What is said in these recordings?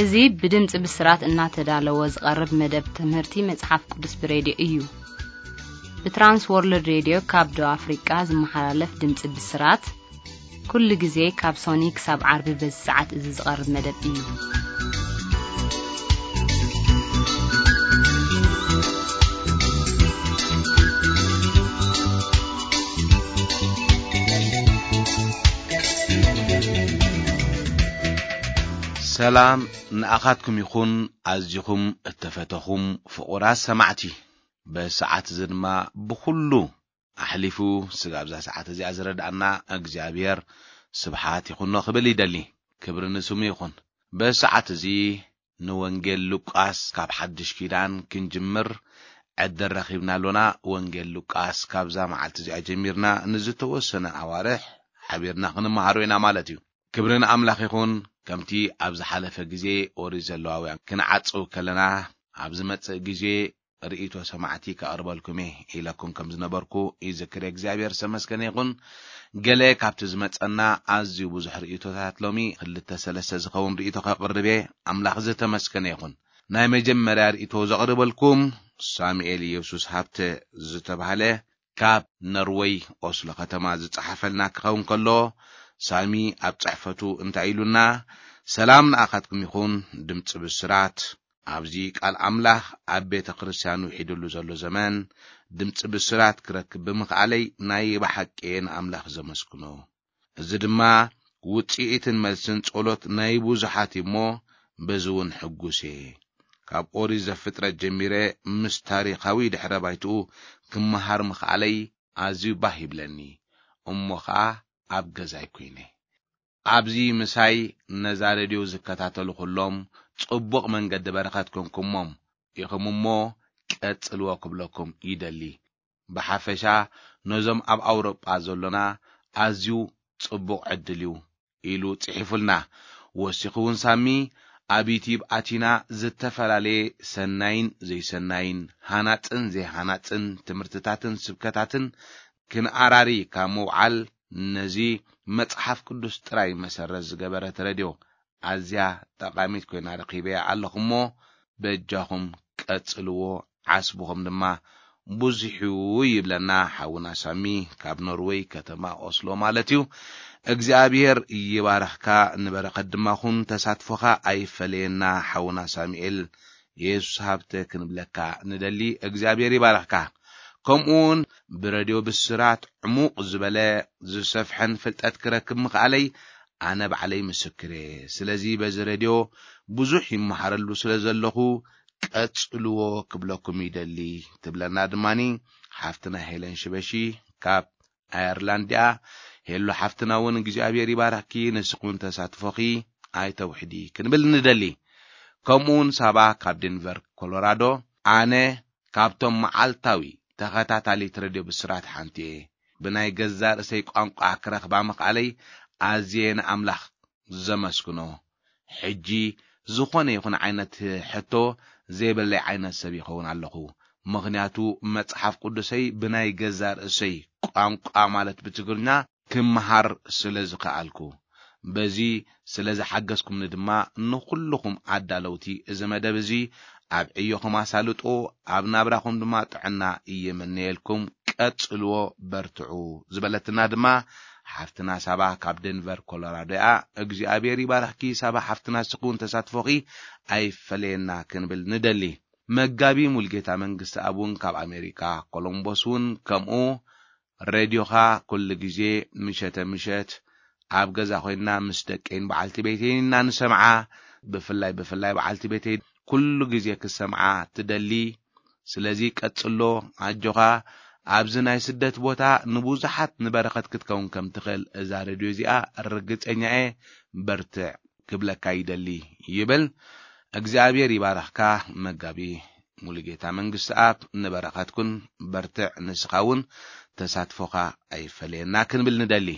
እዚ ብድምፂ ብስራት እናተዳለወ ዝቐርብ መደብ ትምህርቲ መፅሓፍ ቅዱስ ብሬድዮ እዩ። ብትራንስ ወርልድ ሬድዮ ካብ ደቡብ ኣፍሪቃ ዝመሓላለፍ ድምፂ ብስራት ኩሉ ግዜ ካብ ሶኒ ክሳብ ዓርቢ በዚ ሰዓት እዚ ዝቐርብ መደብ እዩ። ሰላም ንኣኻትኩም ይኹን፣ ኣዚኹም እተፈተኹም ፍቑራት ሰማዕቲ። በዚ ሰዓት እዚ ድማ ብኹሉ ኣሕሊፉ ስጋብ እዛ ሰዓት እዚኣ ዝረድኣና እግዚኣብሔር ስብሓት ይኹኖ ክብል ይደሊ። ክብሪ ንስሙ ይኹን። በዚ ሰዓት እዚ ንወንጌል ሉቃስ ካብ ሓድሽ ኪዳን ክንጅምር ዕድል ረኺብና ኣሎና። ወንጌል ሉቃስ ካብዛ መዓልቲ እዚኣ ጀሚርና ንዝተወሰነ ኣዋርሕ ሓቢርና ክንመሃሮ ኢና ማለት እዩ። ክብሪ ንኣምላኽ ይኹን። ከምቲ ኣብ ዝሓለፈ ግዜ ኦሪት ዘለዋውያን ክንዓጽው ከለና፣ ኣብ ዝመጽእ ግዜ ርእይቶ ሰማዕቲ ከቕርበልኩም እየ ኢለኩም ከም ዝነበርኩ ይዝክር። እግዚኣብሔር ዝተመስገነ ይኹን። ገለ ካብቲ ዝመጸና ኣዝዩ ብዙሕ ርእይቶታት፣ ሎሚ ክልተ ሰለስተ ዝኸውን ርእይቶ ከቕርብ እየ። ኣምላኽ ዝተመስገነ ይኹን። ናይ መጀመርያ ርእይቶ ዘቕርበልኩም ሳሙኤል ኢየሱስ ሃብተ ዝተባህለ ካብ ነርወይ ኦስሎ ከተማ ዝጸሓፈልና ክኸውን ከሎ፣ ሳሚ ኣብ ጽሕፈቱ እንታይ ኢሉና? ሰላም ንኣኻትኩም ይኹን። ድምጺ ብስራት ኣብዚ ቃል ኣምላኽ ኣብ ቤተ ክርስቲያን ውሒድሉ ዘሎ ዘመን ድምጺ ብስራት ክረክብ ብምኽኣለይ ናይ ብሓቂ እየ ንኣምላኽ ዘመስግኖ። እዚ ድማ ውጽኢትን መልስን ጸሎት ናይ ብዙሓት እዩ እሞ፣ በዚ እውን ሕጉስ እየ። ካብ ኦሪት ዘፍጥረት ጀሚረ ምስ ታሪኻዊ ድሕረ ባይትኡ ክመሃር ምኽኣለይ ኣዝዩ ባህ ይብለኒ። እሞ ኸኣ ኣብ ገዛይ ኮይነ። ኣብዚ ምሳይ ነዛ ሬድዮ ዝከታተሉ ኩሎም ጽቡቕ መንገዲ በረኸት ኮንኩሞም ኢኹም እሞ ቀጽልዎ ክብለኩም ይደሊ። ብሓፈሻ ነዞም ኣብ ኣውሮጳ ዘሎና ኣዝዩ ጽቡቕ ዕድል እዩ ኢሉ ጽሒፉልና። ወሲኹ እውን ሳሚ ኣብ ዩቲዩብ ኣቲና ዝተፈላለየ ሰናይን ዘይሰናይን፣ ሃናጽን ዘይሃናጽን ትምህርትታትን ስብከታትን ክንኣራሪ ካብ ምውዓል ነዚ መጽሓፍ ቅዱስ ጥራይ መሰረት ዝገበረት ሬድዮ ኣዝያ ጠቓሚት ኮይና ረኺበያ ኣለኹ እሞ በጃኹም ቀጽልዎ፣ ዓስብኹም ድማ ብዙሕ እዩ ይብለና ሓውና ሳሚ ካብ ኖርወይ ከተማ ኦስሎ ማለት እዩ። እግዚኣብሔር ይባርኽካ፣ ንበረኸት ድማ ኩን፣ ተሳትፎኻ ኣይፈለየና ሓውና ሳሙኤል። የሱስ ሃብተ ክንብለካ ንደሊ። እግዚኣብሔር ይባርኽካ። ከምኡውን ብረድዮ ብስራት ዕሙቕ ዝበለ ዝሰፍሐን ፍልጠት ክረክብ ምኽኣለይ ኣነ ባዕለይ ምስክር እየ። ስለዚ በዚ ረድዮ ብዙሕ ይመሃረሉ ስለ ዘለኹ ቀጽልዎ ክብለኩም ይደሊ ትብለና ድማኒ ሓፍትና ሄለን ሽበሺ ካብ ኣየርላንድ እያ። ሄሎ ሓፍትና እውን እግዚኣብሔር ይባርኽኪ፣ ንስኹን ተሳትፎኺ ኣይተውሕዲ ክንብል ንደሊ። ከምኡውን ሳባ ካብ ዴንቨር ኮሎራዶ፣ ኣነ ካብቶም መዓልታዊ ተኸታታሊት ረድዮ ብስራት ሓንቲ እየ። ብናይ ገዛ ርእሰይ ቋንቋ ክረኽባ ምኽኣለይ ኣዝየ ንኣምላኽ ዘመስግኖ። ሕጂ ዝኾነ ይኹን ዓይነት ሕቶ ዘይብለይ ዓይነት ሰብ ይኸውን ኣለኹ። ምኽንያቱ መጽሓፍ ቅዱሰይ ብናይ ገዛ ርእሰይ ቋንቋ ማለት ብትግርኛ ክመሃር ስለ ዝኸኣልኩ። በዚ ስለ ዝሓገዝኩምኒ ድማ ንኹልኹም ኣዳለውቲ እዚ መደብ እዚ ኣብ ዕዮኹም ኣሳልጦ፣ ኣብ ናብራኹም ድማ ጥዕና እየመነየልኩም። ቀጽልዎ፣ በርትዑ ዝበለትና ድማ ሓፍትና ሳባ ካብ ደንቨር ኮሎራዶ እያ። እግዚኣብሔር ይባርኽኪ ሳባ ሓፍትና፣ ስኹን ተሳትፎኺ ኣይፈለየና ክንብል ንደሊ። መጋቢ ሙልጌታ መንግስቲ ኣብ እውን ካብ ኣሜሪካ ኮሎምቦስ እውን ከምኡ። ሬድዮኻ ኩሉ ግዜ ምሸተ ምሸት ኣብ ገዛ ኮይንና ምስ ደቀይን በዓልቲ ቤተይን ኢና ንሰምዓ። ብፍላይ ብፍላይ በዓልቲ ቤተይ ኩሉ ግዜ ክሰምዓ ትደሊ። ስለዚ ቀጽሎ፣ ኣጆኻ። ኣብዚ ናይ ስደት ቦታ ንብዙሓት ንበረኸት ክትከውን ከም ትኽእል እዛ ሬድዮ እዚኣ ርግጸኛ እየ። በርትዕ ክብለካ ይደሊ ይብል። እግዚኣብሔር ይባርኽካ መጋቢ ሙሉጌታ መንግስትኣብ፣ ንበረኸትኩን በርትዕ፣ ንስኻ እውን ተሳትፎኻ ኣይፈለየና ክንብል ንደሊ።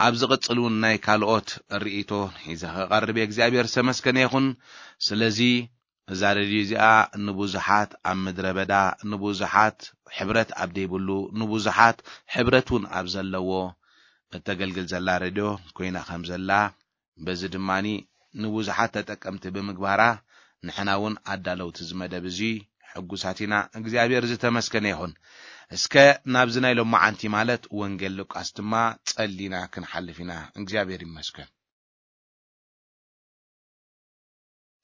ኣብ ዝቕጽል እውን ናይ ካልኦት ርእይቶ ሒዘ ክቐርብ እየ። እግዚኣብሔር ዝተመስገነ ይኹን። ስለዚ እዛ ሬድዮ እዚኣ ንብዙሓት ኣብ ምድረ በዳ፣ ንብዙሓት ሕብረት ኣብ ዘይብሉ፣ ንብዙሓት ሕብረት እውን ኣብ ዘለዎ እተገልግል ዘላ ሬድዮ ኮይና ከም ዘላ፣ በዚ ድማኒ ንብዙሓት ተጠቀምቲ ብምግባራ፣ ንሕና እውን ኣዳለውቲ እዚ መደብ እዚ ሕጉሳት ኢና። እግዚኣብሔር ዝተመስገነ ይኹን። እስከ ናብዚ ናይ ሎማዓንቲ ማለት ወንጌል ሉቃስ ድማ ጸሊና ክንሓልፍ ኢና። እግዚኣብሔር ይመስገን።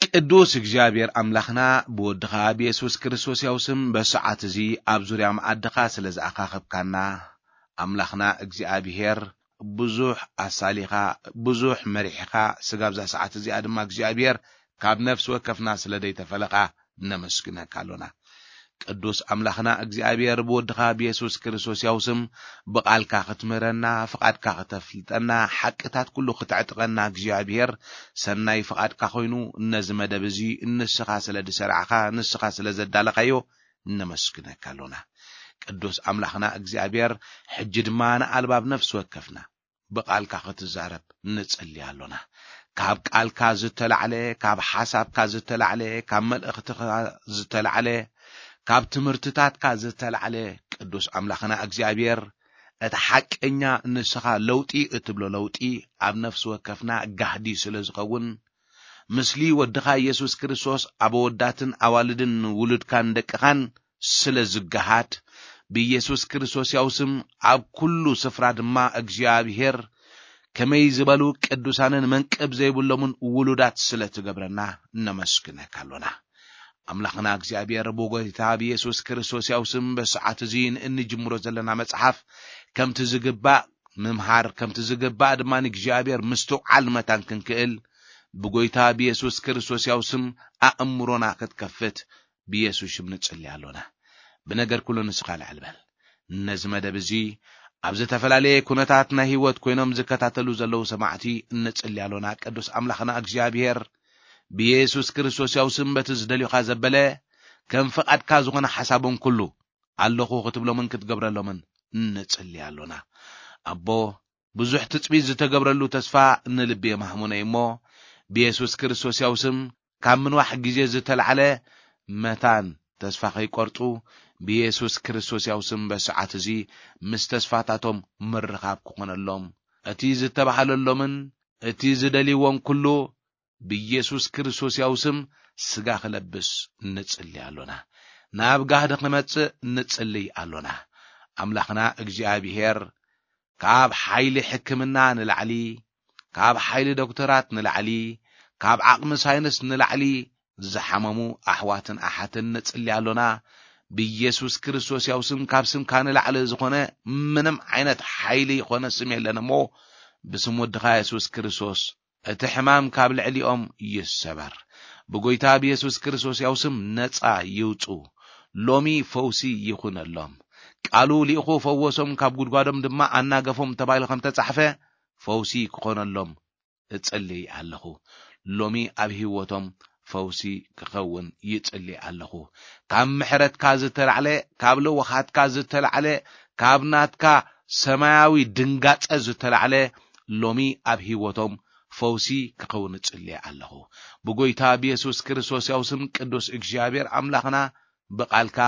ቅዱስ እግዚኣብሔር ኣምላኽና ብወድኻ ብየሱስ ክርስቶስ ያው ስም በሰዓት እዚ ኣብ ዙርያ መኣድኻ ስለ ዝኣኻኸብካና፣ ኣምላኽና እግዚኣብሔር ብዙሕ ኣሳሊኻ፣ ብዙሕ መሪሕኻ፣ ስጋብ እዛ ሰዓት እዚኣ ድማ እግዚኣብሔር ካብ ነፍሲ ወከፍና ስለ ደይተፈለኻ ነመስግነካ ኣሎና። ቅዱስ ኣምላኽና እግዚኣብሔር ብወድኻ ብየሱስ ክርስቶስ ያው ስም ብቓልካ ክትምህረና፣ ፍቓድካ ክተፍልጠና፣ ሓቅታት ኩሉ ክተዕጥቀና እግዚኣብሔር ሰናይ ፍቓድካ ኮይኑ ነዚ መደብ እዚ ንስኻ ስለ ዝሰራዕኻ፣ ንስኻ ስለ ዘዳለኻዮ ነመስግነካ ኣሎና። ቅዱስ ኣምላኽና እግዚኣብሔር ሕጂ ድማ ንኣልባብ ነፍሲ ወከፍና ብቓልካ ክትዛረብ ንጽሊ ኣሎና። ካብ ቃልካ ዝተላዕለ፣ ካብ ሓሳብካ ዝተላዕለ፣ ካብ መልእኽትኻ ዝተላዕለ፣ ካብ ትምህርትታትካ ዝተላዕለ ቅዱስ ኣምላኽና እግዚኣብሔር እቲ ሓቀኛ ንስኻ ለውጢ እትብሎ ለውጢ ኣብ ነፍሲ ወከፍና ጋህዲ ስለ ዝኸውን፣ ምስሊ ወድኻ ኢየሱስ ክርስቶስ ኣብ ኣወዳትን ኣዋልድን ውሉድካን ደቅኻን ስለ ዝገሃድ፣ ብኢየሱስ ክርስቶስ ያው ስም ኣብ ኩሉ ስፍራ ድማ እግዚኣብሔር ከመይ ዝበሉ ቅዱሳንን መንቅብ ዘይብሎምን ውሉዳት ስለ ትገብረና ነመስግነካ ኣሎና። ኣምላኽና እግዚኣብሔር ብጎይታ ብኢየሱስ ክርስቶስ ያው ስም በሰዓት እዚ ንእንጅምሮ ዘለና መጽሓፍ ከምቲ ዝግባእ ምምሃር፣ ከምቲ ዝግባእ ድማ ንእግዚኣብሔር ምስትውዓል መታን ክንክእል ብጎይታ ብኢየሱስ ክርስቶስ ያው ስም ኣእምሮና ክትከፍት ብኢየሱስ ሽም ንጽሊ ኣሎና። ብነገር ኩሉ ንስኻ ልዕል በል። ነዚ መደብ እዚ ኣብ ዝተፈላለየ ኩነታት ናይ ህይወት ኮይኖም ዝከታተሉ ዘለዉ ሰማዕቲ እንጽሊ ኣሎና። ቅዱስ ኣምላኽና እግዚኣብሔር ብኢየሱስ ክርስቶስ ያው ስም በቲ ዝደልዩኻ ዘበለ ከም ፍቓድካ ዝኾነ ሓሳቦም ኩሉ ኣለኹ ክትብሎምን ክትገብረሎምን እንጽሊ ኣሎና። ኣቦ፣ ብዙሕ ትጽቢት ዝተገብረሉ ተስፋ ንልቢ የማህሙነ እሞ፣ ብየሱስ ክርስቶስ ያው ስም ካብ ምንዋሕ ግዜ ዝተላዕለ መታን ተስፋ ከይቆርጹ፣ ብየሱስ ክርስቶስ ያው ስም በሰዓት እዚ ምስ ተስፋታቶም ምርኻብ ክኾነሎም፣ እቲ ዝተባህለሎምን እቲ ዝደልይዎን ኩሉ ብየሱስ ክርስቶስ ያው ስም ስጋ ክለብስ ንጽሊ ኣሎና። ናብ ጋህዲ ክመጽእ ንጽልይ ኣሎና። ኣምላኽና እግዚኣብሔር ካብ ሓይሊ ሕክምና ንላዕሊ፣ ካብ ሓይሊ ዶክተራት ንላዕሊ፣ ካብ ዓቕሚ ሳይንስ ንላዕሊ ዝሓመሙ ኣሕዋትን ኣሓትን ንጽሊ ኣሎና። ብየሱስ ክርስቶስ ያው ስም ካብ ስምካ ንላዕሊ ዝኾነ ምንም ዓይነት ሓይሊ ይኾነ ስም የለን እሞ ብስም ወድኻ የሱስ ክርስቶስ እቲ ሕማም ካብ ልዕሊኦም ይሰበር። ብጎይታ ብየሱስ ክርስቶስ ያው ስም ነጻ ይውጹ። ሎሚ ፈውሲ ይኹነሎም። ቃሉ ልኢኹ ፈወሶም፣ ካብ ጉድጓዶም ድማ ኣናገፎም ተባሂሉ ከም ተጻሕፈ ፈውሲ ክኾነሎም እጽልይ ኣለኹ። ሎሚ ኣብ ህይወቶም ፈውሲ ክኸውን ይጽልይ ኣለኹ። ካብ ምሕረትካ ዝተላዕለ፣ ካብ ለዋኻትካ ዝተላዕለ፣ ካብ ናትካ ሰማያዊ ድንጋጸ ዝተላዕለ ሎሚ ኣብ ህይወቶም ፈውሲ ክኸውን እጽልየ ኣለኹ። ብጎይታ ብየሱስ ክርስቶስ ያው ስም ቅዱስ እግዚኣብሔር ኣምላኽና ብቓልካ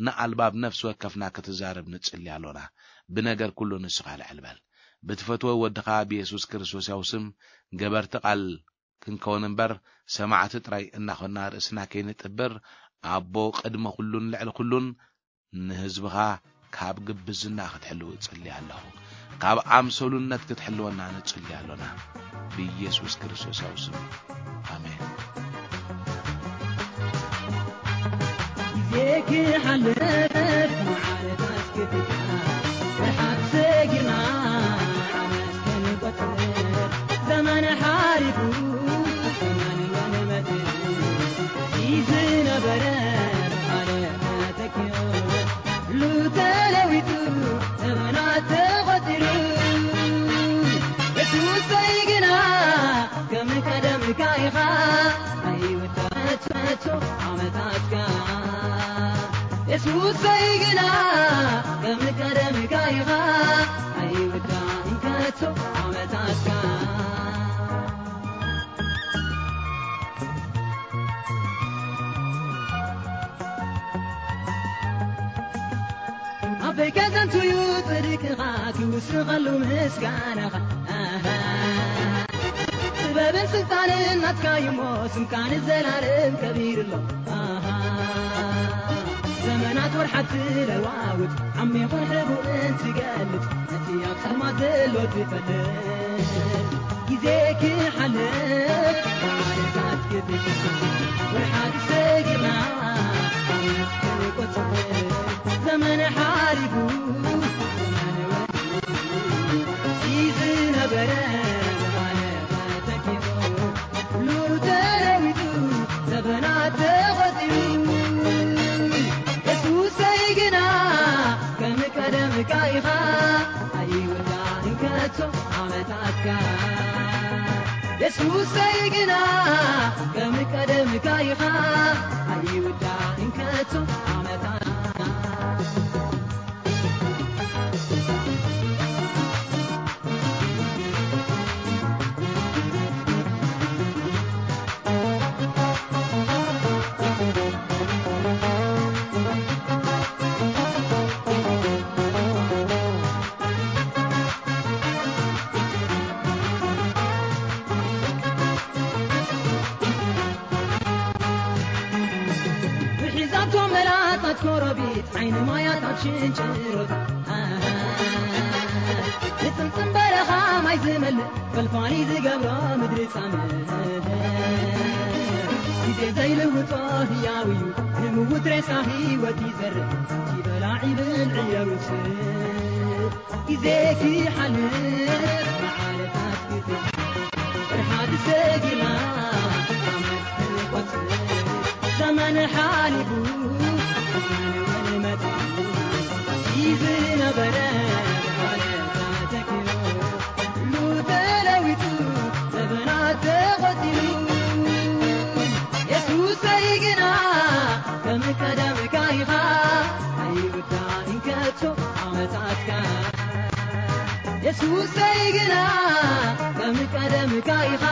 ንኣልባብ ነፍሲ ወከፍና ክትዛረብ ንጽሊ ኣሎና። ብነገር ኩሉ ንስኻ ልዕል በል። ብትፈትዎ ወድኻ ብየሱስ ክርስቶስ ያው ስም ገበርቲ ቃል ክንከውን እምበር ሰማዕቲ ጥራይ እናኾንና ርእስና ከይንጥብር ኣቦ ቅድሚ ኩሉን ልዕሊ ኩሉን ንህዝብኻ ካብ ግብዝና ክትሕልው እጽሊ ኣለኹ። ካብ ኣምሰሉነት ክትሕልወና ንጽሊ ኣሎና። ብኢየሱስ ክርስቶስ ያው ስም። ኣሜን። ግዜ ክሓልፍ መዓልታት ክትካ ብሓቂ ሰጊርና ዓመት ክንቆጽር ዘመን ሓሊፉ ዘመን መንመት ዝነበረ ኣለ ተተኪኡ ሉ ተለዊጡ ዘመናት ተቖጺሩ የሱሰይ ግና ከም ቀደምካ ኢኻ ኣይውዳእን ከቶ ዓመታትካ የሱሰይ ግና ከም ቀደምካ ኢኻ ኣይውዳእን ከቶ ዓመታትካ ኣበይ ከዘንቱ እዩ ጽድቅኻ ክውስኸሉ ምስጋናኻ ኣሃ ጥበብን ስልጣንን ናትካ እዩሞ፣ ስምካ ንዘላለም ከቢሩ ኣሎ። ኣሃ፣ ዘመናት ወርሓት ትለዋውጥ፣ ዓሚቑን ሕቡእን ትገልጽ፣ ነቲ ኣብ ጸልማት ዘሎ ትፈልጥ። ግዜ ክሓልፍ፣ መዓልታት ክብዝሕ፣ ወርሓት ሰጊርና፣ ዓመት ክቆጽር፣ ዘመን ሓሊፉ፣ ዘመን ወዲኡ፣ ዝነበረ ዝሓለፈ ተኪኡ፣ ኩሉ ተለዊጡ፣ ዘበናት ተቖጺሩ። የሱሰይ ግና ከም ቀደምካ ኢኻ፣ ኣይውዳእን ከቶ ዓመታትካ። የሱሰይ ግና ከም ቀደምካ ኢኻ፣ ኣይውዳእን ከቶ ዓመታትካ። ብሒዛቶ መላታት ኮረቢት፣ ዓይኒ ማያት ኣብ ሽንጭሮታት፣ ንጽምጽም በረኻ ማይ ዝመልእ፣ ፈልፋሊ ዝገብሮ ምድሪ ጻምእ። ግዜ ዘይልውጦ ህያው እዩ፣ ንምውት ሬሳ ህይወት ይዘርእ፣ እቲ በላዒ ብልዒ የውጽእ። ግዜ ክሓልፍ መዓልታት ክፍል፣ ፍርሓት ሰጊርና ዓመት ክንቆጽር፣ ዘመን ሓሊፉ ዘመን እውን መጺኡ፣ እዚ ዝነበረ ብሓለፋ ተኪኡ፣ ኩሉ ተለዊጡ ዘመናት ተቖጺሩ። የሱሰይ ግና ከም ቀደምካ ኢኻ፣ ኣይውዳእን ከቶ ዓመታትካ። የሱሰይ ግና ከም ቀደምካ ኢኻ፣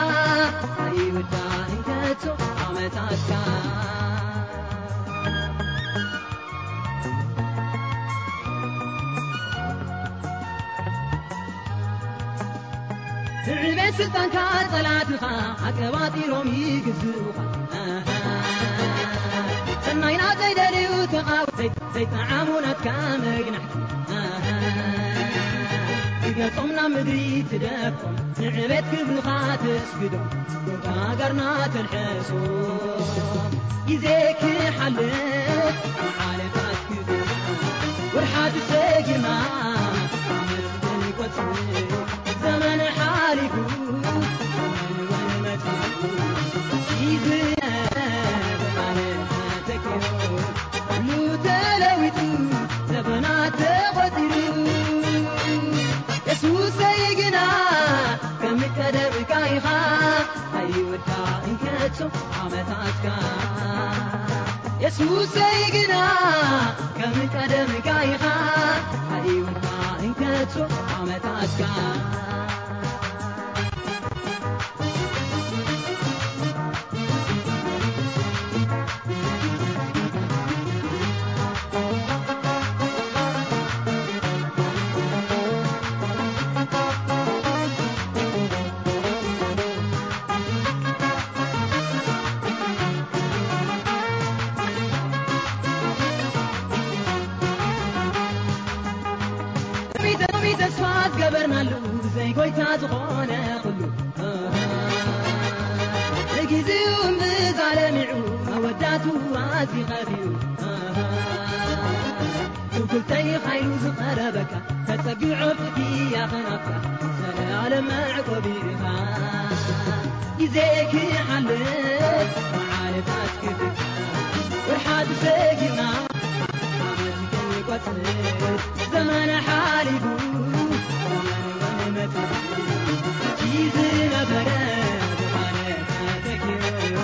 ኣይውዳእን ከቶ ዓመታትካ። ንዕቤት ስልጣንካ ጸላትኻ ኣቀባጢሮም ይግዝኡኻ። ኣሃ፣ ሰናይና ዘይደልዩ ተቓወ-፣ ዘይ-፣ ዘይጠዓሙ ናትካ መግናሕቲ። ኣሃ፣ ክገጾም ናብ ምድሪ ትደፎም፣ ንዕቤት ክብርኻ ተስግዶም፣ ቦታ ሃገርና ተልሕሶም። ግዜ ክሓልፍ መዓልታት ክብርኻ፣ ወርሓት ሰጊርና ዓመት ክንቆጽር፣ ዘመን ሓሊፉ ዘመን እውን መጺኡ፣ ይዝነብ ዓመት ተኪኡ፣ ኩሉ ተለዊጡ ዘመናት ተቖጺሩ። የሱሰይ ግና ከም ቀደምካ ኢኻ፣ ኣይውዳእን ከቶ ዓመታትካ። የሱሰይ ግና ከም ቀደምካ ኢኻ፣ ኣይውዳእን ከቶ ዓመታትካ። ሎሚ ተስፋ ዝገበርናሉ ብዘይ ጎይታ ዝኾነ ኩሉ ንጊዜኡ እምብዛ ለሚዑ መወዳቱ ኣዝዩ ኸፊኡ። ትውክልተይ ሓይሉ ዝቐረበካ ተጸጊዖ ፍትያ ኸናፍካ ዘለኣለም መዕቆቢ ኢኻ። ግዜ ክሓልፍ መዓልታት ክፍካ ወርሓት ሰጊርና ዓመት ክንቆጽር ዘመን ሓሊፉ ዘመን እውን መጺኡ። እቲ ዝነበረ ብሓደ ተተኪኡ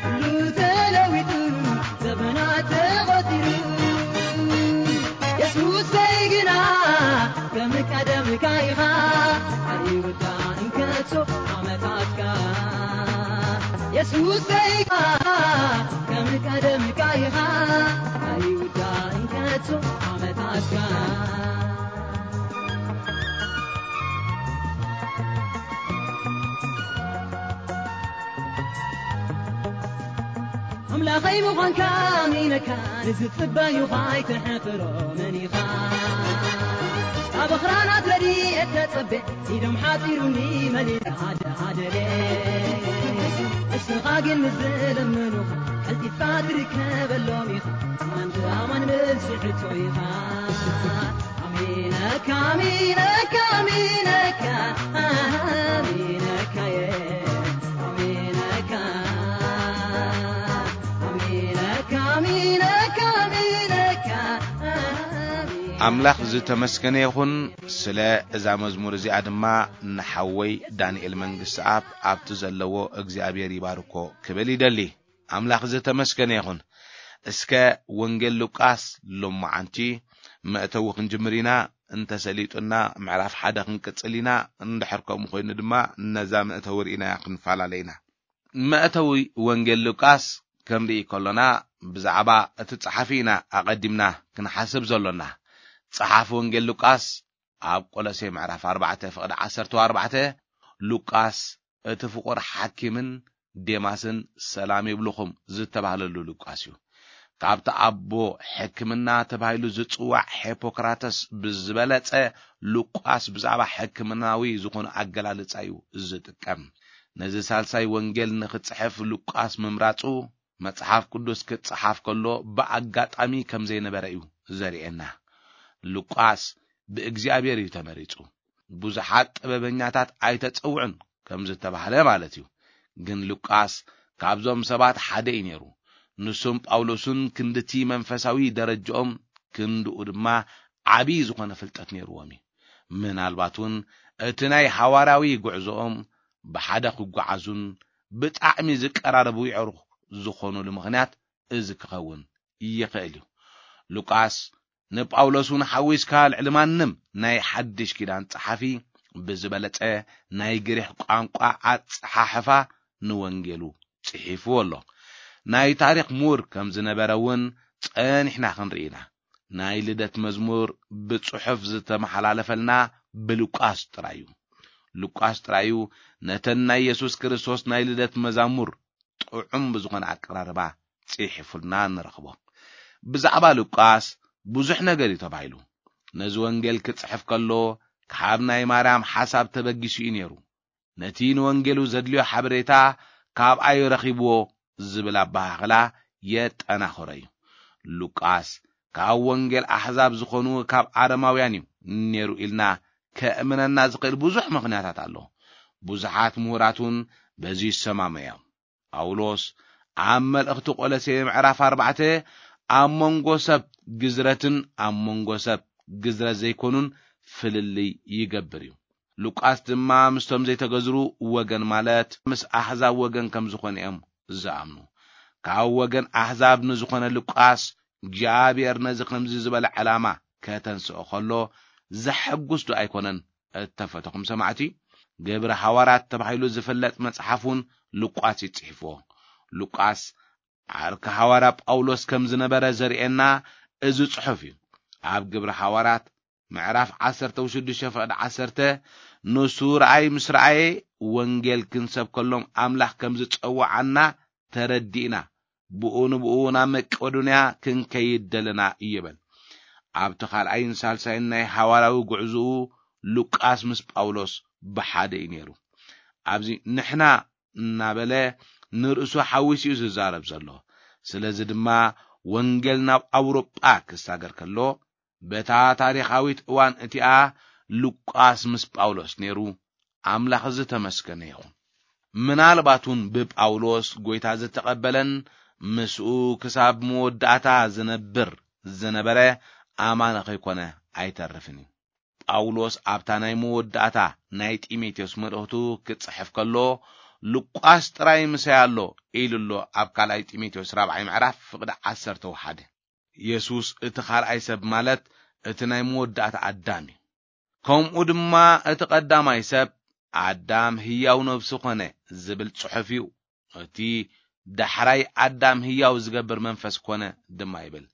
ኩሉ ተለዊጡ ዘመናት ተቖጺሩ። የሱሰይ ግና ከም ቀደምካ ኢኻ ኣይውዳእን ከቶ ዓመታትካ። የሱሰይ ግና ከም ቀደምካ ኢኻ ኣይውዳእን ከቶ ዓመታትካ። ኣምላኸይ ምዃንካ ኣሚነካ፣ ንዝጽበዩኻ ኣይትሕፍሮምን ኢኻ። ኣብ ኣኽራናት ረድኤት ተጸቤ፣ ኢዶም ሓጺሩኒ መሊሳ ኣደ ኣደሬ። እስኻ ግን ምስ ዝለምኑኻ፣ ቀልጢፍካ ትርከበሎም ኢኻ። ኣማን ብኣማን መልሲ ሕቶ ኢኻ። ኣሚነካ፣ ኣሚነካ፣ ኣሚነካ፣ ኣሚነካ፣ ኣሚነካ፣ ኣሚነካ፣ ኣሚነካ፣ ኣሚነካ፣ ኣሚነካ። ኣምላኽ ዝተመስገነ ይኹን። ስለ እዛ መዝሙር እዚኣ ድማ ንሓወይ ዳንኤል መንግስትኣብ ኣብቲ ዘለዎ እግዚኣብሔር ይባርኮ ክብል ይደሊ። ኣምላኽ ዝተመስገነ ይኹን። እስከ ወንጌል ሉቃስ ሎማዓንቲ መእተዊ ክንጅምር ኢና። እንተሰሊጡና ምዕራፍ ሓደ ክንቅጽል ኢና። እንድሕር ከምኡ ኮይኑ ድማ ነዛ መእተዊ ርኢናያ ክንፈላለ ኢና። መእተዊ ወንጌል ሉቃስ ክንርኢ ከሎና ብዛዕባ እቲ ጸሓፊ ኢና ኣቐዲምና ክንሓስብ ዘሎና። ጸሓፊ ወንጌል ሉቃስ ኣብ ቆሎሴ ምዕራፍ ኣርባዕተ ፍቕዲ ዓሰርተ ኣርባዕተ፣ ሉቃስ እቲ ፍቑር ሓኪምን ዴማስን ሰላም ይብልኹም ዝተባህለሉ ሉቃስ እዩ። ካብቲ ኣቦ ሕክምና ተባሂሉ ዝጽዋዕ ሄፖክራተስ ብዝበለጸ ሉቃስ ብዛዕባ ሕክምናዊ ዝኾነ ኣገላልጻ እዩ ዝጥቀም። ነዚ ሳልሳይ ወንጌል ንኽጽሕፍ ሉቃስ ምምራጹ መጽሓፍ ቅዱስ ክጸሓፍ ከሎ ብኣጋጣሚ ከም ዘይነበረ እዩ ዘርእየና። ሉቃስ ብእግዚኣብሔር እዩ ተመሪጹ። ብዙሓት ጥበበኛታት ኣይተጸውዑን ከም ዝተባህለ ማለት እዩ። ግን ሉቃስ ካብዞም ሰባት ሓደ እዩ ነይሩ። ንሱን ጳውሎስን ክንድቲ መንፈሳዊ ደረጃኦም ክንድኡ ድማ ዓቢ ዝኾነ ፍልጠት ነይርዎም እዩ። ምናልባት እውን እቲ ናይ ሃዋርያዊ ጉዕዞኦም ብሓደ ክጓዓዙን ብጣዕሚ ዝቀራረቡ የዕሩኽ ዝኾኑሉ ምኽንያት እዚ ክኸውን ይኽእል እዩ። ሉቃስ ንጳውሎስ እውን ሓዊስካ ልዕሊ ማንም ናይ ሓድሽ ኪዳን ጸሓፊ ብዝበለጸ ናይ ግሪኽ ቋንቋ ኣጸሓሕፋ ንወንጌሉ ጽሒፍዎ ኣሎ። ናይ ታሪኽ ምሁር ከም ዝነበረ እውን ጸኒሕና ክንርኢ ኢና። ናይ ልደት መዝሙር ብጽሑፍ ዝተመሓላለፈልና ብሉቃስ ጥራይ እዩ። ሉቃስ ጥራይ እዩ ነተን ናይ የሱስ ክርስቶስ ናይ ልደት መዛሙር ጥዑም ብዝኾነ ኣቀራርባ ጽሒፉልና ንረኽቦ። ብዛዕባ ሉቃስ ብዙሕ ነገር እዩ ተባሂሉ። ነዚ ወንጌል ክጽሕፍ ከሎ ካብ ናይ ማርያም ሓሳብ ተበጊሱ እዩ ነይሩ። ነቲ ንወንጌሉ ዘድልዮ ሓበሬታ ካብኣ እዩ ረኺብዎ ዝብል ኣበሃህላ የጠናኽሮ እዩ። ሉቃስ ካብ ወንጌል ኣሕዛብ ዝኾኑ ካብ ኣረማውያን እዩ ነይሩ ኢልና ከእምነና ዝኽእል ብዙሕ ምኽንያታት ኣሎ። ብዙሓት ምሁራት እውን በዚ ይሰማሙ እዮም። ጳውሎስ ኣብ መልእኽቲ ቆሎሴ ምዕራፍ ኣርባዕተ ኣብ መንጎ ሰብ ግዝረትን ኣብ መንጎ ሰብ ግዝረት ዘይኮኑን ፍልልይ ይገብር እዩ። ሉቃስ ድማ ምስቶም ዘይተገዝሩ ወገን ማለት ምስ ኣሕዛብ ወገን ከም ዝኾነ እዮም ዝኣምኑ። ካብ ወገን ኣሕዛብ ንዝኾነ ሉቃስ እግዚኣብሔር ነዚ ከምዚ ዝበለ ዕላማ ከተንስኦ ከሎ ዘሐጉስ ዶ ኣይኮነን? እተፈተኹም ሰማዕቲ፣ ግብሪ ሃዋርያት ተባሂሉ ዝፍለጥ መጽሓፍ እውን ሉቃስ እዩ ጽሒፍዎ። ሉቃስ ዓርኪ ሃዋርያ ጳውሎስ ከም ዝነበረ ዘርእየና እዚ ጽሑፍ እዩ። ኣብ ግብሪ ሃዋርያት ምዕራፍ ዓሰርተ ሽዱሽተ ፍቕዲ ዓሰርተ፣ ንሱ ረኣይ ምስ ረኣየ ወንጌል ክንሰብከሎም ኣምላኽ ከም ዝጸውዓና ተረዲእና፣ ብኡ ንብኡ ናብ መቄዶንያ ክንከይድ ደለና ይብል። ኣብቲ ካልኣይን ሳልሳይን ናይ ሃዋርያዊ ጉዕዞኡ ሉቃስ ምስ ጳውሎስ ብሓደ እዩ ነይሩ። ኣብዚ ንሕና እናበለ ንርእሱ ሓዊሱ እዩ ዝዛረብ ዘሎ። ስለዚ ድማ ወንጌል ናብ ኣውሮጳ ክሳገር ከሎ በታ ታሪኻዊት እዋን እቲኣ ሉቃስ ምስ ጳውሎስ ነይሩ። ኣምላኽ ዝተመስገነ ይኹን። ምናልባት እውን ብጳውሎስ ጐይታ ዝተቐበለን ምስኡ ክሳብ መወዳእታ ዝነብር ዝነበረ ኣማኒ ከይኮነ ኣይተርፍን እዩ። ጳውሎስ ኣብታ ናይ መወዳእታ ናይ ጢሞቴዎስ መልእኽቱ ክጽሕፍ ከሎ ሉቃስ ጥራይ ምሳይ ኣሎ ኢሉ ኣሎ። ኣብ ካልኣይ ጢሞቴዎስ ራብዓይ ምዕራፍ ፍቕዲ ዓሰርተ ሓደ። የሱስ እቲ ካልኣይ ሰብ ማለት እቲ ናይ መወዳእታ ኣዳም እዩ። ከምኡ ድማ እቲ ቀዳማይ ሰብ ኣዳም ህያው ነብሲ ኮነ ዝብል ጽሑፍ እዩ። እቲ ዳሕራይ ኣዳም ህያው ዝገብር መንፈስ ኮነ ድማ ይብል።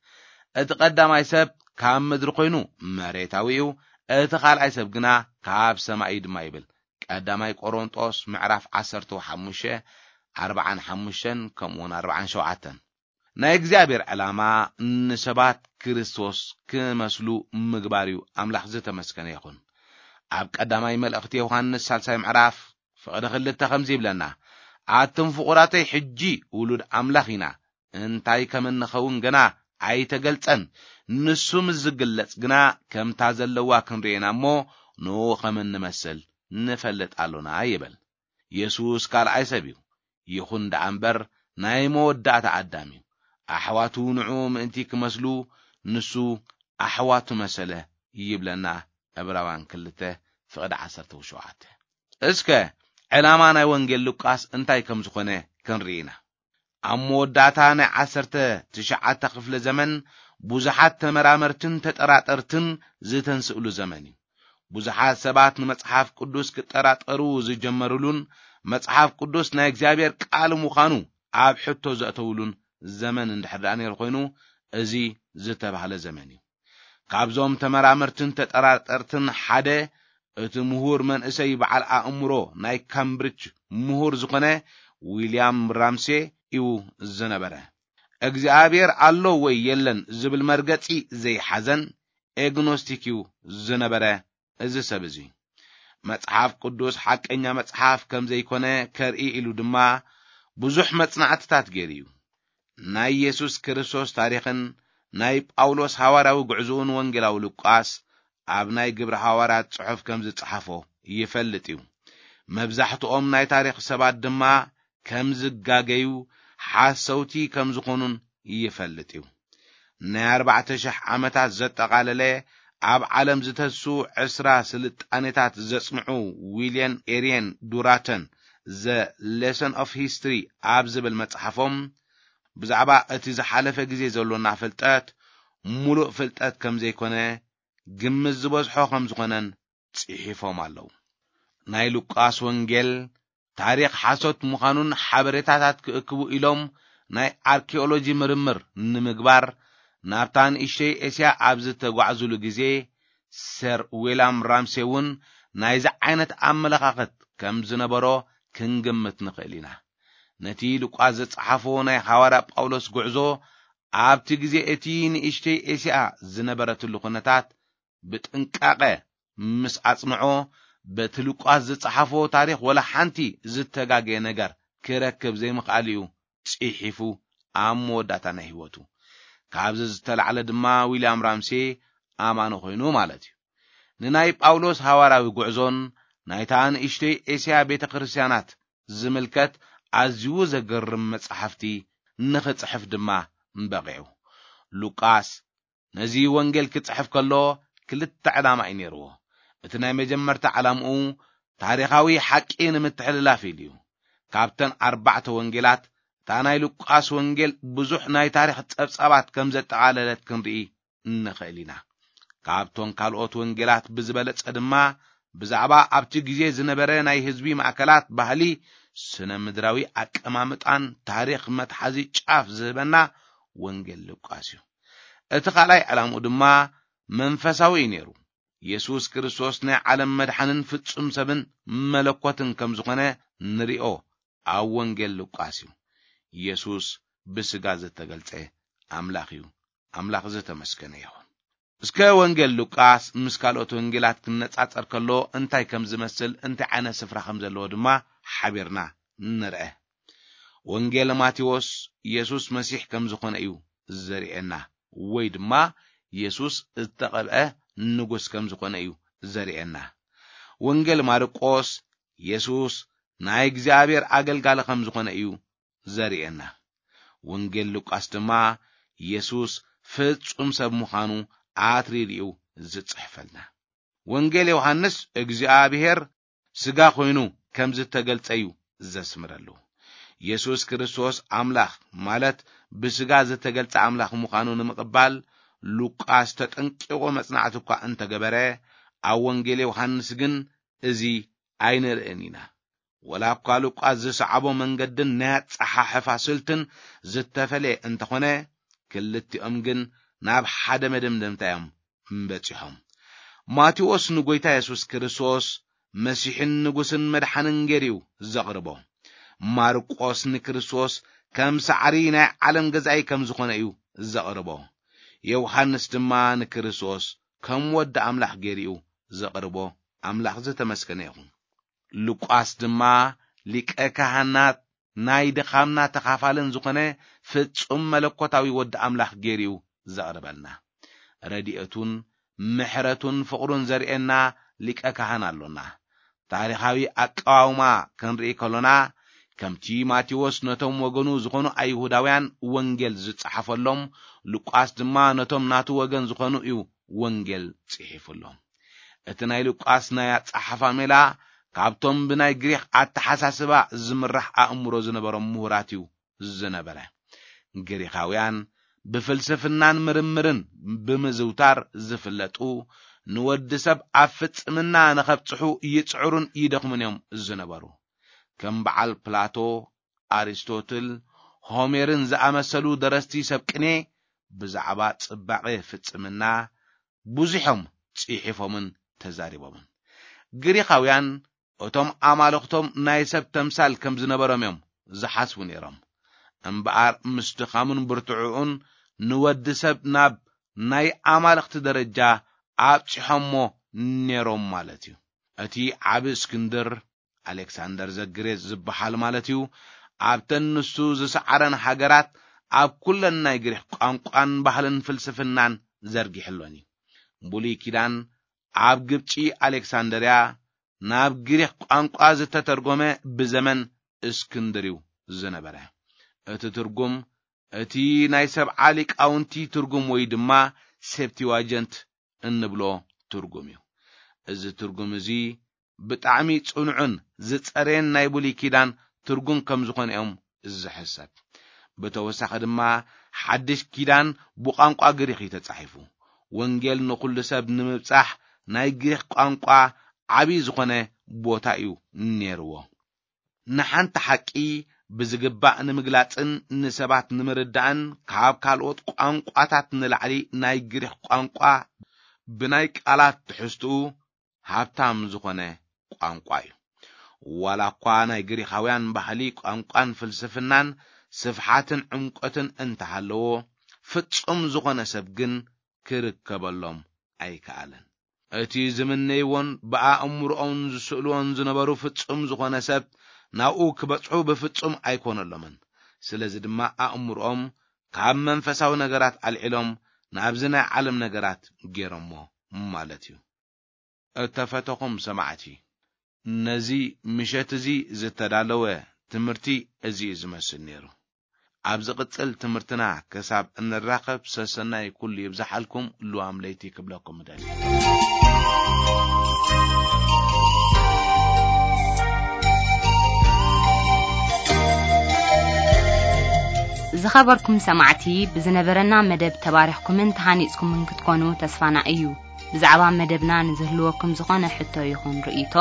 እቲ ቀዳማይ ሰብ ካብ ምድሪ ኮይኑ መሬታዊ እዩ፣ እቲ ካልኣይ ሰብ ግና ካብ ሰማይ እዩ ድማ ይብል። ቀዳማይ ቆሮንጦስ ምዕራፍ ዓሰርተ ሓሙሽተ ኣርባዓን ሓሙሽተን ከምኡውን ኣርባዓን ሸውዓተን። ናይ እግዚኣብሔር ዕላማ ንሰባት ክርስቶስ ክመስሉ ምግባር እዩ። ኣምላኽ ዝተመስገነ ይኹን። ኣብ ቀዳማይ መልእኽቲ ዮሃንስ ሳልሳይ ምዕራፍ ፍቕዲ ክልተ ከምዚ ይብለና፣ ኣቱም ፍቑራተይ፣ ሕጂ ውሉድ ኣምላኽ ኢና፣ እንታይ ከም እንኸውን ገና ኣይተገልጸን። ንሱ ምስ ዝግለጽ ግና ከምታ ዘለዋ ክንርእየና እሞ ንኡ ከም እንመስል ንፈልጥ ኣሎና ይብል። የሱስ ካልኣይ ሰብ እዩ። ይኹን ደኣ እምበር ናይ መወዳእታ ኣዳም እዩ። ኣሕዋቱ ንዕኡ ምእንቲ ክመስሉ ንሱ ኣሕዋቱ መሰለ ይብለና ዕብራውያን ክልተ ፍቕዲ ዓሰርተ ሸውዓተ። እስከ ዕላማ ናይ ወንጌል ሉቃስ እንታይ ከም ዝኾነ ክንርኢ ኢና። ኣብ መወዳእታ ናይ ዓሰርተ ትሽዓተ ክፍለ ዘመን ብዙሓት ተመራመርትን ተጠራጠርትን ዝተንስእሉ ዘመን እዩ። ብዙሓት ሰባት ንመጽሓፍ ቅዱስ ክጠራጠሩ ዝጀመሩሉን መጽሓፍ ቅዱስ ናይ እግዚኣብሔር ቃል ምዃኑ ኣብ ሕቶ ዘእተውሉን ዘመን እንድሕር ደኣ ነይሩ ኮይኑ፣ እዚ ዝተባህለ ዘመን እዩ። ካብዞም ተመራመርትን ተጠራጠርትን ሓደ እቲ ምሁር መንእሰይ በዓል ኣእምሮ ናይ ካምብሪጅ ምሁር ዝኾነ ዊልያም ራምሴ እዩ ዝነበረ። እግዚኣብሔር ኣሎ ወይ የለን ዝብል መርገጺ ዘይሓዘን ኤግኖስቲክ እዩ ዝነበረ እዚ ሰብ እዚ። መጽሓፍ ቅዱስ ሓቀኛ መጽሓፍ ከም ዘይኮነ ከርኢ ኢሉ ድማ ብዙሕ መጽናዕትታት ገይሩ እዩ። ናይ የሱስ ክርስቶስ ታሪኽን ናይ ጳውሎስ ሃዋርያዊ ጉዕዞኡን ወንጌላዊ ሉቃስ ኣብ ናይ ግብሪ ሃዋርያት ጽሑፍ ከም ዝጸሓፎ ይፈልጥ እዩ። መብዛሕትኦም ናይ ታሪኽ ሰባት ድማ ከም ዝጋገዩ፣ ሓሰውቲ ከም ዝኾኑን ይፈልጥ እዩ። ናይ ኣርባዕተ ሽሕ ዓመታት ዘጠቓለለ ኣብ ዓለም ዝተሱ ዕስራ ስልጣኔታት ዘጽንዑ ዊልየን ኤሪየን ዱራተን ዘ ሌሰን ኦፍ ሂስትሪ ኣብ ዝብል መጽሓፎም ብዛዕባ እቲ ዝሓለፈ ግዜ ዘሎና ፍልጠት ምሉእ ፍልጠት ከም ዘይኮነ፣ ግምት ዝበዝሖ ከም ዝኾነን ጽሒፎም ኣለዉ። ናይ ሉቃስ ወንጌል ታሪኽ ሓሶት ምዃኑን ሓበሬታታት ክእክቡ ኢሎም ናይ ኣርኪኦሎጂ ምርምር ንምግባር ናብታ ንእሽተይ ኤስያ ኣብ ዝተጓዕዙሉ ግዜ፣ ሰር ዊልያም ራምሴ እውን ናይዚ ዓይነት ኣመለኻኸት ከም ዝነበሮ ክንግምት ንኽእል ኢና። ነቲ ሉቃስ ዝጸሓፎ ናይ ሃዋርያ ጳውሎስ ጉዕዞ ኣብቲ ግዜ እቲ ንእሽተይ ኤስያ ዝነበረትሉ ኩነታት ብጥንቃቐ ምስ ኣጽንዖ፣ በቲ ሉቃስ ዝጸሓፎ ታሪኽ ወላ ሓንቲ ዝተጋገየ ነገር ክረክብ ዘይምኽኣል እዩ ጽሒፉ ኣብ መወዳእታ ናይ ህይወቱ። ካብዚ ዝተላዕለ ድማ ዊልያም ራምሴ ኣማኒ ኮይኑ ማለት እዩ። ንናይ ጳውሎስ ሃዋርያዊ ጉዕዞን ናይታ ንእሽተይ ኤስያ ቤተ ክርስቲያናት ዝምልከት ኣዝዩ ዘገርም መጻሕፍቲ ንኽጽሕፍ ድማ በቒዑ። ሉቃስ ነዚ ወንጌል ክጽሕፍ ከሎ ክልተ ዕላማ እዩ ነይርዎ። እቲ ናይ መጀመርታ ዕላምኡ ታሪኻዊ ሓቂ ንምትሕልላፍ ኢሉ እዩ። ካብተን ኣርባዕተ ወንጌላት እታ ናይ ሉቃስ ወንጌል ብዙሕ ናይ ታሪኽ ጸብጻባት ከም ዘጠቓለለት ክንርኢ ንኽእል ኢና። ካብቶም ካልኦት ወንጌላት ብዝበለጸ ድማ ብዛዕባ ኣብቲ ግዜ ዝነበረ ናይ ህዝቢ ማእከላት ባህሊ፣ ስነ ምድራዊ ኣቀማምጣን ታሪኽ መትሓዚ ጫፍ ዝህበና ወንጌል ሉቃስ እዩ። እቲ ካልኣይ ዕላምኡ ድማ መንፈሳዊ እዩ ነይሩ። የሱስ ክርስቶስ ናይ ዓለም መድሓንን ፍጹም ሰብን መለኮትን ከም ዝኾነ ንሪኦ ኣብ ወንጌል ሉቃስ እዩ። የሱስ ብስጋ ዝተገልጸ ኣምላኽ እዩ። ኣምላኽ ዝተመስገነ ይኹን። እስከ ወንጌል ሉቃስ ምስ ካልኦት ወንጌላት ክነጻጸር ከሎ እንታይ ከም ዝመስል፣ እንታይ ዓይነት ስፍራ ከም ዘለዎ ድማ ሓቢርና ንርአ። ወንጌል ማቴዎስ የሱስ መሲሕ ከም ዝኾነ እዩ ዘርእየና፣ ወይ ድማ የሱስ ዝተቐብአ ንጉስ ከም ዝኾነ እዩ ዘርእየና። ወንጌል ማርቆስ የሱስ ናይ እግዚኣብሔር ኣገልጋሊ ከም ዝኾነ እዩ ዘርእየና። ወንጌል ሉቃስ ድማ የሱስ ፍጹም ሰብ ምዃኑ ኣትሪሪኡ ዝጽሕፈልና። ወንጌል ዮሃንስ እግዚኣብሔር ስጋ ኮይኑ ከም ዝተገልጸ እዩ ዘስምረሉ። የሱስ ክርስቶስ ኣምላኽ ማለት ብስጋ ዝተገልጸ ኣምላኽ ምዃኑ ንምቕባል ሉቃስ ተጠንቂቑ መጽናዕቲ እኳ እንተገበረ፣ ኣብ ወንጌል ዮሃንስ ግን እዚ ኣይንርእን ኢና። ወላ እኳ ሉቃስ ዝሰዓቦ መንገድን ናይ ኣጸሓሕፋ ስልትን ዝተፈልየ እንተኾነ፣ ክልቲኦም ግን ናብ ሓደ መደምደምታ እዮም በጺሖም። ማቴዎስ ንጎይታ የሱስ ክርስቶስ መሲሕን ንጉስን መድሓንን ገይሩ እዩ ዘቕርቦ። ማርቆስ ንክርስቶስ ከም ሳዕሪ ናይ ዓለም ገዛኢ ከም ዝኾነ እዩ ዘቕርቦ። ዮሃንስ ድማ ንክርስቶስ ከም ወዲ ኣምላኽ ገይሩ እዩ ዘቕርቦ። ኣምላኽ ዝተመስገነ ይኹን። ሉቃስ ድማ ሊቀ ካህናት ናይ ድኻምና ተኻፋልን ዝኾነ ፍጹም መለኮታዊ ወዲ ኣምላኽ ገይሩ እዩ ዘቕርበልና። ረድኤቱን ምሕረቱን ፍቕሩን ዘርእየና ሊቀ ካህን ኣሎና። ታሪኻዊ ኣቀዋውማ ክንርኢ ከሎና፣ ከምቲ ማቴዎስ ነቶም ወገኑ ዝኾኑ ኣይሁዳውያን ወንጌል ዝጸሓፈሎም፣ ሉቃስ ድማ ነቶም ናቱ ወገን ዝኾኑ እዩ ወንጌል ጽሒፉሎም። እቲ ናይ ሉቃስ ናይ ኣጸሓሕፋ ሜላ ካብቶም ብናይ ግሪኽ ኣተሓሳስባ ዝምራሕ ኣእምሮ ዝነበሮም ምሁራት እዩ ዝነበረ። ግሪኻውያን ብፍልስፍናን ምርምርን ብምዝውታር ዝፍለጡ፣ ንወዲ ሰብ ኣብ ፍጽምና ንኸብጽሑ ይጽዕሩን ይደኽሙን እዮም ዝነበሩ። ከም በዓል ፕላቶ፣ ኣሪስቶትል፣ ሆሜርን ዝኣመሰሉ ደረስቲ ሰብ ቅኔ ብዛዕባ ጽባቐ ፍጽምና ብዙሖም ጽሒፎምን ተዛሪቦምን። ግሪኻውያን እቶም ኣማልኽቶም ናይ ሰብ ተምሳል ከም ዝነበሮም እዮም ዝሓስቡ ነይሮም። እምበኣር ምስ ድኻሙን ብርትዕኡን ንወዲ ሰብ ናብ ናይ ኣማልኽቲ ደረጃ ኣብጺሖሞ ነይሮም ማለት እዩ። እቲ ዓቢ እስክንድር፣ ኣሌክሳንደር ዘግሬት ዝበሃል ማለት እዩ፣ ኣብተን ንሱ ዝሰዓረን ሃገራት ኣብ ኩለን ናይ ግሪኽ ቋንቋን ባህልን ፍልስፍናን ዘርጊሕሎን እዩ። ብሉይ ኪዳን ኣብ ግብጺ ኣሌክሳንደርያ ናብ ግሪኽ ቋንቋ ዝተተርጎመ ብዘመን እስክንድር እዩ ዝነበረ። እቲ ትርጉም እቲ ናይ ሰብዓ ሊቃውንቲ ትርጉም ወይ ድማ ሴፕቲዋጀንት እንብሎ ትርጉም እዩ። እዚ ትርጉም እዚ ብጣዕሚ ጽኑዕን ዝጸረየን ናይ ብሉይ ኪዳን ትርጉም ከም ዝኾነ እዮም ዝሕሰብ። ብተወሳኺ ድማ ሓድሽ ኪዳን ብቋንቋ ግሪኽ እዩ ተጻሒፉ። ወንጌል ንኹሉ ሰብ ንምብጻሕ ናይ ግሪኽ ቋንቋ ዓቢ ዝኾነ ቦታ እዩ ነይርዎ። ንሓንቲ ሓቂ ብዝግባእ ንምግላጽን ንሰባት ንምርዳእን ካብ ካልኦት ቋንቋታት ንላዕሊ ናይ ግሪኽ ቋንቋ ብናይ ቃላት ትሕዝትኡ ሃብታም ዝኾነ ቋንቋ እዩ። ዋላ እኳ ናይ ግሪኻውያን ባህሊ፣ ቋንቋን ፍልስፍናን ስፍሓትን ዕምቆትን እንተሃለዎ፣ ፍጹም ዝኾነ ሰብ ግን ክርከበሎም ኣይከኣለን። እቲ ዝምነይዎን ብኣእምሮኦን ዝስእልዎን ዝነበሩ ፍጹም ዝኾነ ሰብ ናብኡ ክበጽሑ ብፍጹም ኣይኮነሎምን። ስለዚ ድማ ኣእምሮኦም ካብ መንፈሳዊ ነገራት ኣልዒሎም ናብዚ ናይ ዓለም ነገራት ገይሮሞ ማለት እዩ። እተፈተኹም ሰማዕቲ፣ ነዚ ምሸት እዚ ዝተዳለወ ትምህርቲ እዚ እዩ ዝመስል ነይሩ። ኣብ ዝቕጽል ትምህርትና ክሳብ እንራኸብ ሰሰናይ ኩሉ ይብዝሓልኩም። ልዋም ለይቲ ክብለኩም እደሊ። ዝኸበርኩም ሰማዕቲ፣ ብዝነበረና መደብ ተባሪኽኩምን ተሃኒጽኩምን ክትኮኑ ተስፋና እዩ። ብዛዕባ መደብና ንዝህልወኩም ዝኾነ ሕቶ ይኹን ርእይቶ፣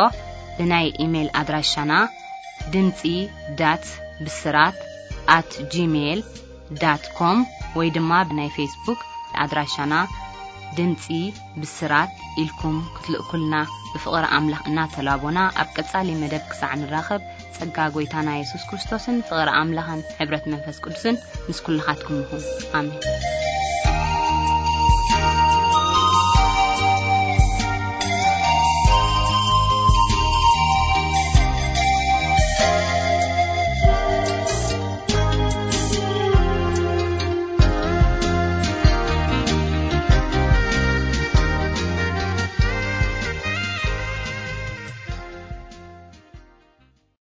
ብናይ ኢሜይል ኣድራሻና ድምጺ ዳት ብስራት ኣት ጂሜይል ዳት ኮም ወይ ድማ ብናይ ፌስቡክ ኣድራሻና ድምጺ ብስራት ኢልኩም ክትልእኩልና ብፍቕሪ ኣምላኽ እናተላቦና፣ ኣብ ቀጻሊ መደብ ክሳዕ ንራኸብ፣ ጸጋ ጐይታና የሱስ ክርስቶስን ፍቕሪ ኣምላኽን ሕብረት መንፈስ ቅዱስን ምስ ኩልኻትኩም ይኹን። ኣሜን።